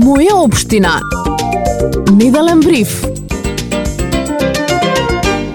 Моја општина. Неделен бриф.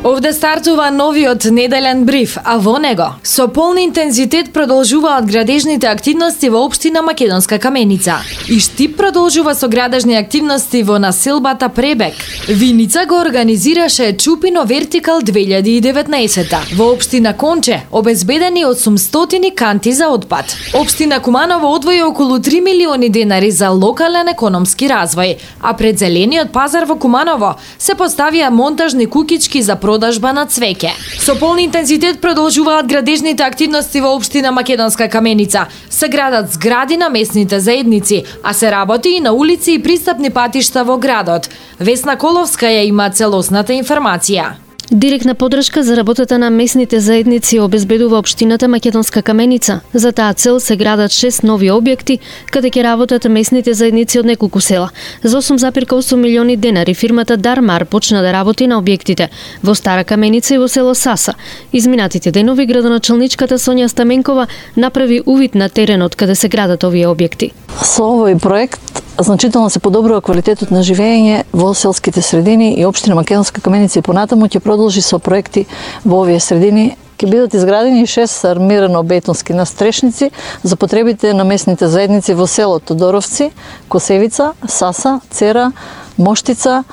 Овде стартува новиот неделен бриф, а во него со полн интензитет продолжуваат градежните активности во општина Македонска Каменица. И Штип продолжува со градежни активности во населбата Пребек. Виница го организираше Чупино Вертикал 2019. Во општина Конче обезбедени 800 канти за отпад. Општина Куманово одвои околу 3 милиони денари за локален економски развој, а пред зелениот пазар во Куманово се поставија монтажни кукички за продажба на цвеќе. Со полн интензитет продолжуваат градежните активности во општина Македонска Каменица. Се градат згради на местните заедници, а се работи и на улици и пристапни патишта во градот. Весна Коловска ја има целосната информација. Директна подршка за работата на местните заедници обезбедува општината Македонска Каменица. За таа цел се градат 6 нови објекти, каде ќе работат местните заедници од неколку села. За 8,8 милиони денари фирмата Дармар почна да работи на објектите во Стара Каменица и во село Саса. Изминатите денови градоначалничката Сонја Стаменкова направи увид на теренот каде се градат овие објекти. Со овој проект значително се подобрува квалитетот на живење во селските средини и општина Македонска Каменица и понатаму ќе продолжи со проекти во овие средини. Ќе бидат изградени 6 армирано-бетонски настрешници за потребите на местните заедници во село Тодоровци, Косевица, Саса, Цера, Моштица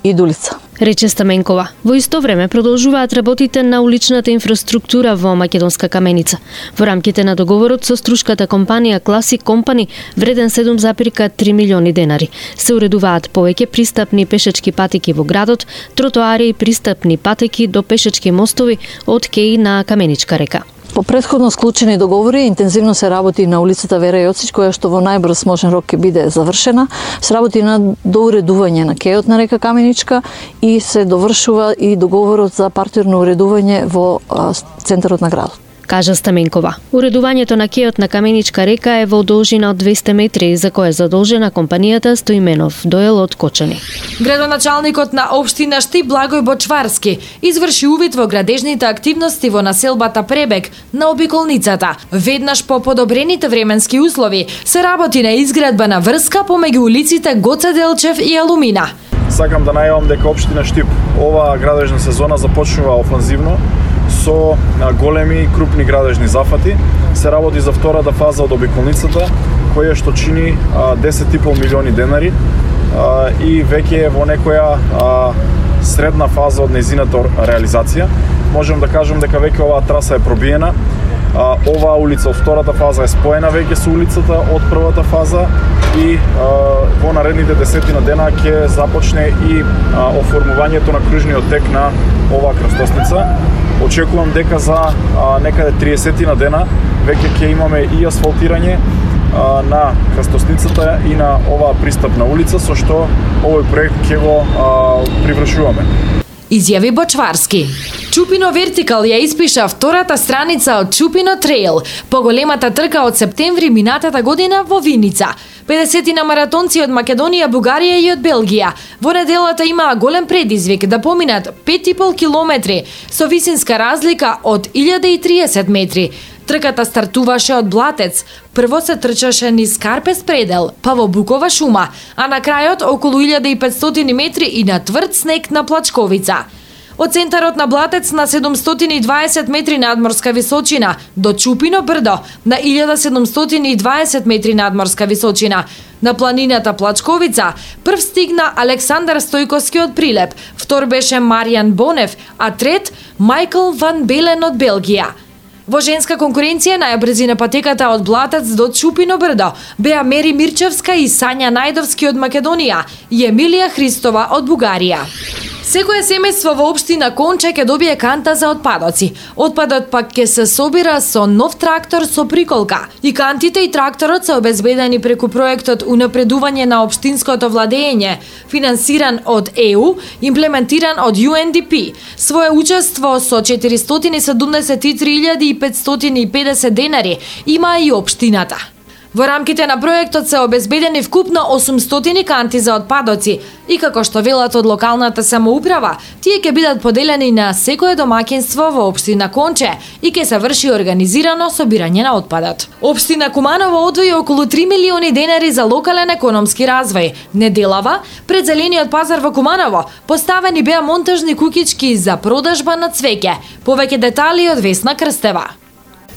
и Дулица, рече Стаменкова. Во исто време продолжуваат работите на уличната инфраструктура во Македонска Каменица. Во рамките на договорот со струшката компанија Classic Company, вреден 7,3 милиони денари, се уредуваат повеќе пристапни пешечки патеки во градот, тротоари и пристапни патеки до пешечки мостови од кеј на Каменичка река. По претходно склучени договори, интензивно се работи на улицата Вера Јоцич, која што во најбрз можен рок ќе биде завршена. Се работи на доуредување на кејот на река Каменичка и се довршува и договорот за партирно уредување во центарот на градот, кажа Стаменкова. Уредувањето на кејот на Каменичка река е во должина од 200 метри, за која е задолжена компанијата Стоименов Доел од Кочани. Градоначалникот на општина Штип Благој Бочварски изврши увид во градежните активности во населбата Пребек на обиколницата. Веднаш по подобрените временски услови се работи на изградба на врска помеѓу улиците Гоце Делчев и Алумина. Сакам да најавам дека општина Штип оваа градежна сезона започнува офанзивно со големи и крупни градежни зафати. Се работи за втората фаза од обиколницата, која што чини 10,5 милиони денари и веќе е во некоја средна фаза од нејзината реализација. Можем да кажем дека веќе оваа траса е пробиена. Оваа улица од втората фаза е споена веќе со улицата од првата фаза и во наредните 10 дена ќе започне и оформувањето на кружниот тек на оваа крстосница. Очекувам дека за некаде 30 дена веќе ќе имаме и асфалтирање на крстосницата и на оваа пристапна улица, со што овој проект ќе го привршуваме. Изјави Бочварски. Чупино Вертикал ја испиша втората страница од Чупино Трейл, поголемата трка од септември минатата година во Виница. 50 на маратонци од Македонија, Бугарија и од Белгија во неделата имаа голем предизвик да поминат 5,5 километри со висинска разлика од 1030 метри. Трката стартуваше од Блатец, прво се трчаше низ Карпес предел, па во Букова шума, а на крајот околу 1500 метри и на тврд снег на Плачковица. Од центарот на Блатец на 720 метри надморска височина до Чупино брдо на 1720 метри надморска височина. На планината Плачковица прв стигна Александар Стојковски од Прилеп, втор беше Маријан Бонев, а трет Мајкл Ван Белен од Белгија. Во женска конкуренција најбрзи на патеката од Блатец до Чупино брдо беа Мери Мирчевска и Сања Најдовски од Македонија и Емилија Христова од Бугарија. Секое семејство во општина Конче ќе добие канта за отпадоци. Отпадот пак ќе се собира со нов трактор со приколка. И кантите и тракторот се обезбедени преку проектот Унапредување на општинското владење, финансиран од ЕУ, имплементиран од UNDP. Своје учество со 473.550 денари има и општината. Во рамките на проектот се обезбедени вкупно 800 канти за отпадоци и како што велат од локалната самоуправа, тие ќе бидат поделени на секое домаќинство во општина Конче и ќе се врши организирано собирање на отпадот. Општина Куманово одвои околу 3 милиони денари за локален економски развој. Неделава, пред зелениот пазар во Куманово, поставени беа монтажни куќички за продажба на цвеќе. Повеќе детали од Весна Крстева.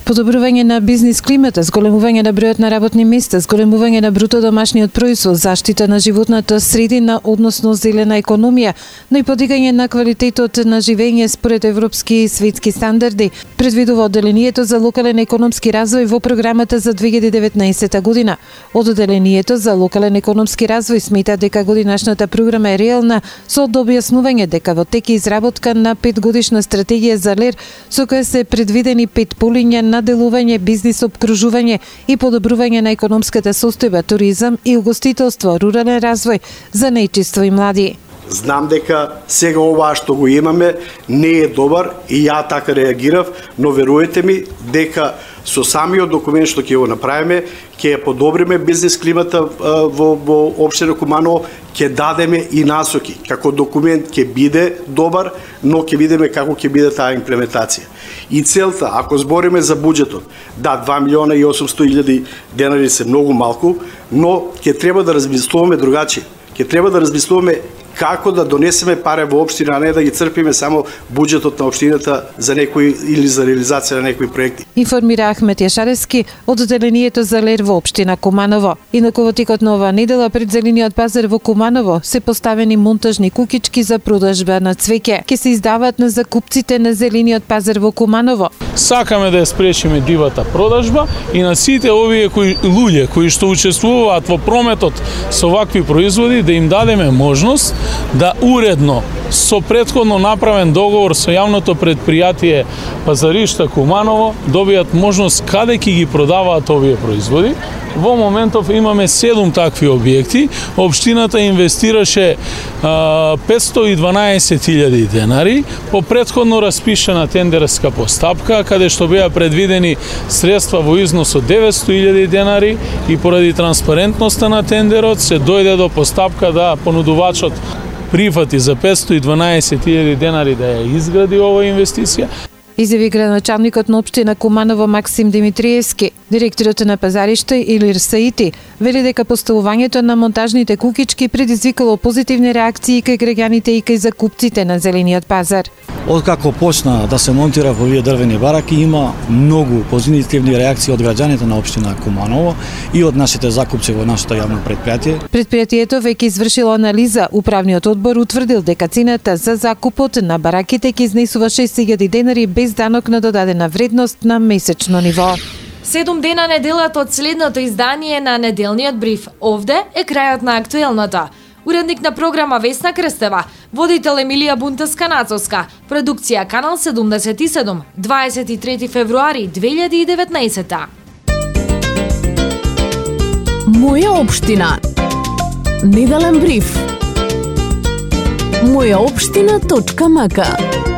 Подобрување на бизнис климата, зголемување на бројот на работни места, зголемување на бруто домашниот производ, заштита на животната средина, односно зелена економија, но и подигање на квалитетот на живење според европски и светски стандарди, предвидува одделението за локален економски развој во програмата за 2019 година. Од одделението за локален економски развој смета дека годинашната програма е реална, со објаснување дека во тек изработка на 5-годишна стратегија за ЛЕР, со која се предвидени 5 полиња на делување, бизнис обкружување и подобрување на економската состојба, туризам и угостителство, рурален развој, за најчиство и млади. Знам дека сега ова што го имаме не е добар и ја така реагирав, но веруете ми дека со самиот документ што ќе го направиме, ќе подобриме бизнес климата во општина Куманово, ќе дадеме и насоки. Како документ ќе биде добар, но ќе видиме како ќе биде таа имплементација. И целта, ако збориме за буџетот, да, 2 милиона и 800 илјади денари се многу малку, но ќе треба да размислуваме другачи. Ќе треба да размислуваме како да донесеме пари во општина, а не да ги црпиме само буџетот на општината за некои или за реализација на некои проекти. Информира Ахмет Јашарески од одделението за ЛЕР во општина Куманово. Инаку во текот на оваа недела пред зелениот пазар во Куманово се поставени монтажни куќички за продажба на цвеќе. Ке се издаваат на закупците на зелениот пазар во Куманово. Сакаме да ја спречиме дивата продажба и на сите овие луѓе кои што учествуваат во прометот со вакви производи да им дадеме можност да уредно со претходно направен договор со јавното предпријатие Пазаришта Куманово добијат можност каде ќе ги продаваат овие производи. Во моментов имаме 7 такви објекти. Општината инвестираше 512.000 денари по претходно распишана тендерска постапка, каде што беа предвидени средства во износ од 900.000 денари и поради транспарентноста на тендерот се дојде до постапка да понудувачот прифати за 512.000 денари да ја изгради оваа инвестиција. Изјави градоначалникот на општина Куманово Максим Димитриевски. Директорот на Пазариште Илир Саити вели дека поставувањето на монтажните куќички предизвикало позитивни реакции кај граѓаните и кај закупците на зелениот пазар. Откако почна да се монтира во овие дрвени бараки, има многу позитивни реакции од граѓаните на општина Куманово и од нашите закупци во нашето јавно предпријатие. Предпријатието веќе извршило анализа. Управниот одбор утврдил дека цената за закупот на бараките ќе изнесува 6.000 денари без данок на додадена вредност на месечно ниво. 7 дена неделата од следното издание на неделниот бриф. Овде е крајот на актуелното. Уредник на програма Весна Крстева, водител Емилија Бунтаска-Нацовска, продукција Канал 77, 23 февруари 2019. Моја општина. Неделен бриф. Мојаопштина.мк